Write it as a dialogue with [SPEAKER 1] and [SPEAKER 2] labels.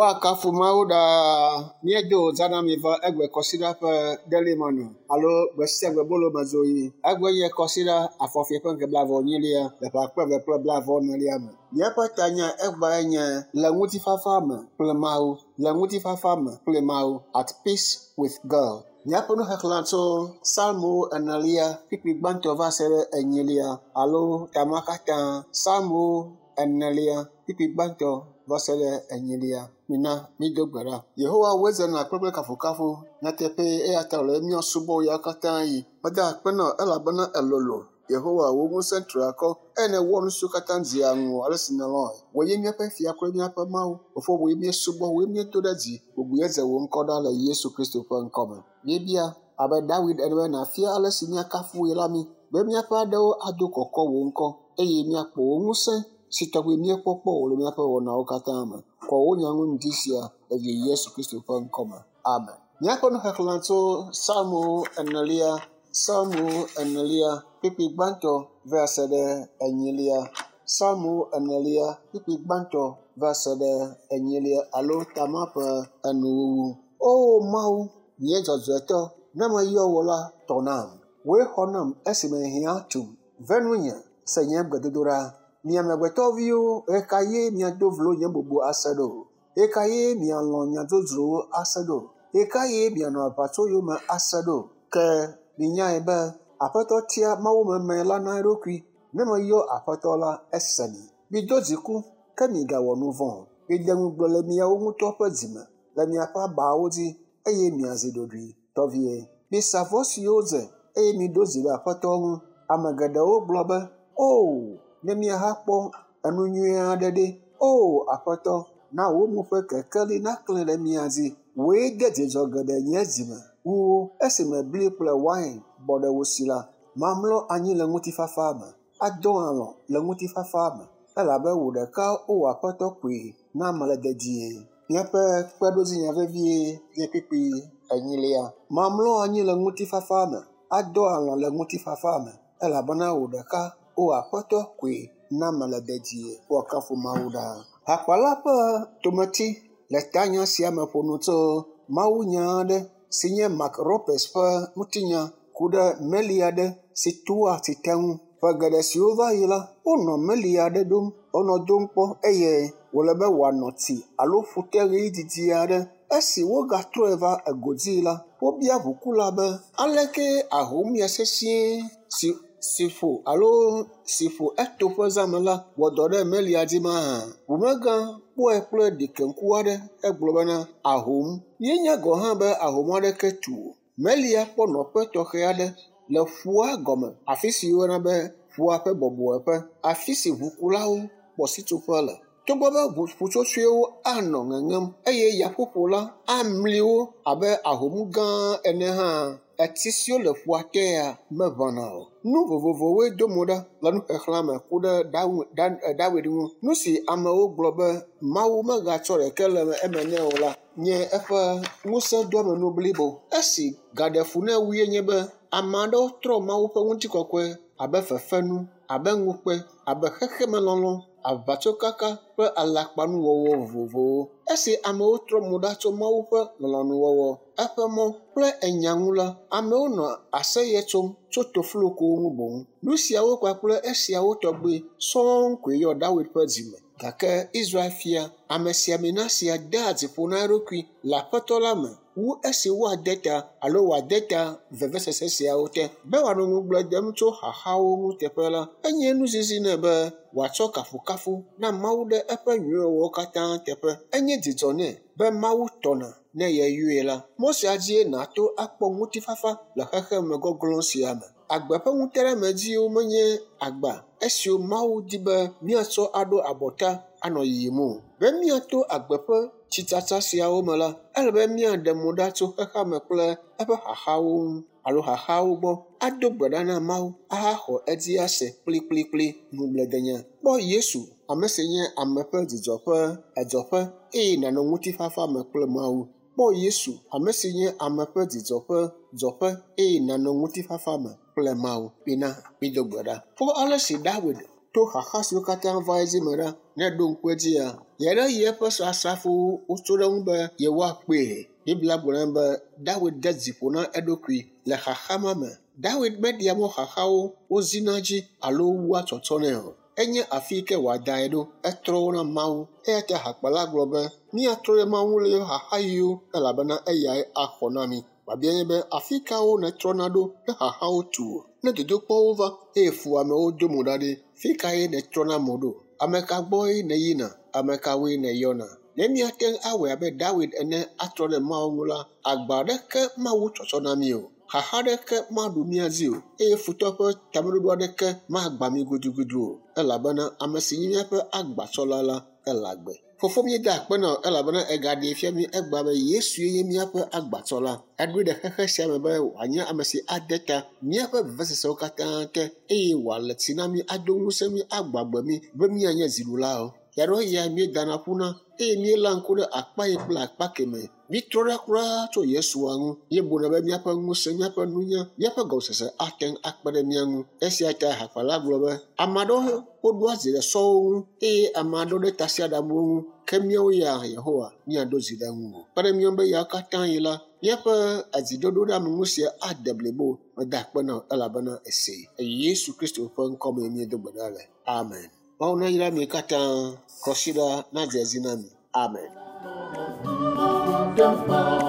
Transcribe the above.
[SPEAKER 1] Woakafu Mawu ɖaa. Míedo wòza na mi va egbe kɔsiɖa ƒe delimɔnu alo gbe sia gbe bolo me dzo yi. Egbe nye kɔsiɖa afɔfie ƒe ŋkeke blaeve-vɔ-enyilia le ƒe akpe eve kple blaeve-vɔ-enelia me. Míaƒe tanya egbae nye le ŋutifafa me kple Mawu. Le ŋutifafa me kple Mawu. At peace with God. Míaƒe nuxexlẽ tso Psalmo enelia kpukpui gbãtɔ va se ɖe enyilia alo tama katã. Psalmo enelia kpukpui gbãtɔ va se ɖe enyilia. Mina mído gbe ɖa. Yehowa woe zena kple kafukafu. Nyateƒee eya ta wòle be míasubɔ ya katã yi. Meda akpe na wò elabena elolo. Yehowa wò ŋusẽ tri akɔ eye nèwɔ nu siwo katã dzea ŋuwò ale si nèlɔ̃e. Wòe nye míaƒe fia kple míaƒe Mawu. Fofo wòe míesubɔ, wòe míedo ɖe dzi. Bubue dze wò ŋkɔ ɖa le Yesu Kristo ƒe ŋkɔme. Míebia abe Dawid ene be nàfia ale si míakafu wòe la mí be míaƒe aɖewo ado kɔkɔ wò ŋkɔ eye míakpɔ wò ŋusẽ si tɔgbi míekpɔ kpɔ o le míaƒe wɔnawo katã me. Kɔ wò nya ŋu ŋdi sia le Yesu Kristo ƒe ŋkɔme. Amen. Míaƒe nuxexlẽ tso Psalmo enelia, Psalmo enelia, kpukpui gbãtɔ va se ɖe enyilia. Psalmo enelia, kpukpui gbãtɔ va se ɖe enyilia alo tama ƒe enuwuwu. O Mawu, nye dzɔdzɔetɔ, ne meyɔ wò la, tɔ nam. Wòe xɔ nam esime hiã tum. Ve nunye, se nye gbedodoɖa. Mi amegbetɔviwo, ɣekaɣie miado vlo nye bubu ase ɖo? Ɣekaɣie mialɔ̃ nya dzodzrowo ase ɖo? Ɣekaɣie mianɔ aʋatso yome ase ɖo? Ke minyae be Aƒetɔ tia mawumeme la na eɖokui. Ne meyɔ Aƒetɔ la, esenɛ. Mido dziku, ke migawɔ nu vɔ̃ o. Mide ŋugble le miawo ŋutɔ ƒe dzime, le miaƒe abawo dzi, eye miazi ɖoɖoe tɔ vie. Misa vɔ siwo dze, eye miɖo dzi ɖe Aƒetɔ ŋu. Ame geɖewo gblɔ be, “O, ne míahakpɔ enu nyui aɖe ɖe! O, Aƒetɔ, na wò mo ƒe kekeli naklẽ ɖe mía dzi. Wòe de dzidzɔ geɖe nye dzime wu esime bli kple wain bɔ ɖe wo si la. Mamlɔ anyi le ŋutifafa me, adɔ alɔ̃ le ŋutifafa me, elabe wò ɖeka o Aƒetɔ koe na mele dedie. Míaƒe kpeɖodzinya vevie nye kpukpui enyilia. Mamlɔ anyi le ŋutifafa me, adɔ alɔ̃ le ŋutifafa me, elabena wò ɖeka o Aƒetɔ koe na mele dedie. Woakafu Mawu ɖaa. Hakpala ƒe tometi le tanya sia me ƒo nu tso mawunya aɖe si nye Mark Ropes ƒe ŋutinya ku ɖe meli aɖe si toa tsi te ŋu. Ƒe geɖe siwo va yi la, wonɔ meli aɖe ɖom, wonɔ dom kpɔ eye wòle be wòanɔ tsi alo ƒute ɣeyiɣi didi aɖe. Esi wogatrɔe va egodzi la, wobia ʋukula be aleke ahomya sesĩe si si ƒo alo si ƒo etoƒe zãme la wɔ dɔ ɖe melia dzi mahã. Ʋumegã kpɔe kple ɖikeŋku aɖe hegblɔ bena ahom. Míenya gɔ̃ hã be ahom aɖeke tu o. Melia kpɔ nɔƒe tɔxɛ aɖe le ƒua gɔme, afi si woyɔna be ƒua ƒe bɔbɔeƒe, afi si ʋukulawo kpɔ sitsoƒe le. Togbɔ be ƒutsotsoewo anɔ ŋeŋem eye yaƒoƒo la amli wo abe ahom gã ene hã, etsi siwo le ƒua tea meʋãna o. Nu vovovowoe do mo ɖa le nuxexlẽa me ku ɖe Dawid ŋu. Nu si amewo gblɔ be Mawu megatsɔ ɖeke le eme nɛ o la nye eƒe ŋusẽdoamenu blibo. Esi gaɖe fu nɛ wue nye be ame aɖewo trɔ Mawu ƒe ŋutikɔkɔe abe fefenu, abe ŋukpe, abe xexemelɔlɔ̃, aʋatsokaka kple alakpanuwɔwɔ vovovowo. Esi amewo trɔ mo ɖa tso Mawu ƒe lɔlɔ̃nuwɔwɔ, eƒe mɔ kple enya ŋu la, amewo nɔ aseye tsom tso toflokowo ŋu boŋ. Nu siawo kpakple esiawo tɔgbi sɔŋ koe yɔ Dawid ƒe dzime. Gake Israel fia amesiamina sia dea dzi ƒo na eɖokui le Aƒetɔ la me wu esi woade ta alo wòade ta vevesese siawo te. Be wòanɔ ŋugble dem tso xaxawo ŋu teƒe la, enye nuzizi nɛ be wòatsɔ kafukafu na Mawu ɖe eƒe nyuiwɔwɔwo katã teƒe. Enye dzidzɔ nɛ be Mawu tɔna ne yeyɔe la. Mɔ sia dzie nàto akpɔ ŋutifafa le xexeme gɔglɔ̃ sia me. Agbe ƒe ŋuteɖeamedziwo menye agba esiwo Mawu di be míatsɔ aɖo abɔta anɔ yiyim o. Be míato agbe ƒe tsitsatsa siawo me la, ele be míaɖe mo ɖa tso xexeame kple eƒe xaxawo ŋu alo xaxawo gbɔ, ado gbe ɖa na Mawu ahaxɔ edzi ase kplikplikpli. Ŋugbledenya. Kpɔ Yesu, ame si nye ame ƒe dzidzɔ ƒe edzɔƒe eye nànɔ ŋutifafa me kple Mawu. Kpɔ Yesu, ame si nye ame ƒe dzidzɔ ƒe dzɔƒe eye nànɔ ŋutifafa me kple Mawu. Mina mído gbe ɖa. Kpɔ ale si Dawid To xaxa siwo katã va edzi me ɖa, ne eɖo ŋku edzia, yeɖe yi eƒe asrafowo wotso ɖe eŋu be yewoakpee. Biblia gblɔ na be Dawid de dzi ƒo na eɖokui le xaxa ma me. Dawid meɖea mɔ xaxawo wozina dzi alo wua tsɔtsɔ nɛ o. Enye afi yi ke wòadae ɖo. Etrɔ wo na Mawu. Eya ta hakpala gblɔ be míatrɔ ɖe Mawu ŋu le yeƒe xaxaɣiwo elabena eyae axɔ na mí. Biabia nye be afi kawo nètrɔna ɖo ne xaxawo tu wò? Ne dodokpɔwo va eye fuwɔamewo do mo ɖa ɖe, fi kae nètrɔna mo ɖo? Ame ka gbɔe nèyina? Ame kawoe nèyɔna? Ne míate ŋu awɔe abe Dawid ene atrɔ ɖe Mawu ŋu la, agba aɖeke mawu tsɔtsɔ na mí o. Xaxa aɖeke maɖu mía dzi o eye futɔ ƒe tameɖoɖo aɖeke magbã mí gudugudu o elabena ame si nye míaƒe agbatsɔla la ele agbe. Fofo míeda akpe na wò elabena egaɖee fia mí egbea be Yesue nye míaƒe agbatsɔla. Eɖoe ɖe xexe sia me be wòanye ame si ade ta míaƒe vevesesewo katã te eye wòale tsi na mí, ado ŋusẽ mí, agbɔ agbe mí be míanye dziɖulawo. Yaɖo eya míedana ƒuna eye míeléa ŋku ɖe akpa yi kple akpa keme. Mítrɔ ɖa kura tso Yesua ŋu. Míebuna be míaƒe ŋusẽ, míaƒe nunya, míaƒe gɔmesese ate ŋu akpe ɖe mía ŋu. Esia ta hakpala gblɔ be ame aɖewo woɖoa dzi ɖe sɔwo ŋu eye ame aɖewo ɖe tasiaɖamwo ŋu ke míawo ya Yehowa míaɖo dzi ɖe ŋuwò. Kpe ɖe mía ŋu be yawo katã yi la, míaƒe edziɖoɖo ɖe ame ŋu sia ade blibo. Meda akpe na wò elabena èsee. Yesu Kristo ƒe ŋkɔ mee míedo gbe ɖa le. Amen. Mawu nayra mi katã. Kɔsiɖa nadze edzi na mi. Amen.
[SPEAKER 2] Wonderful.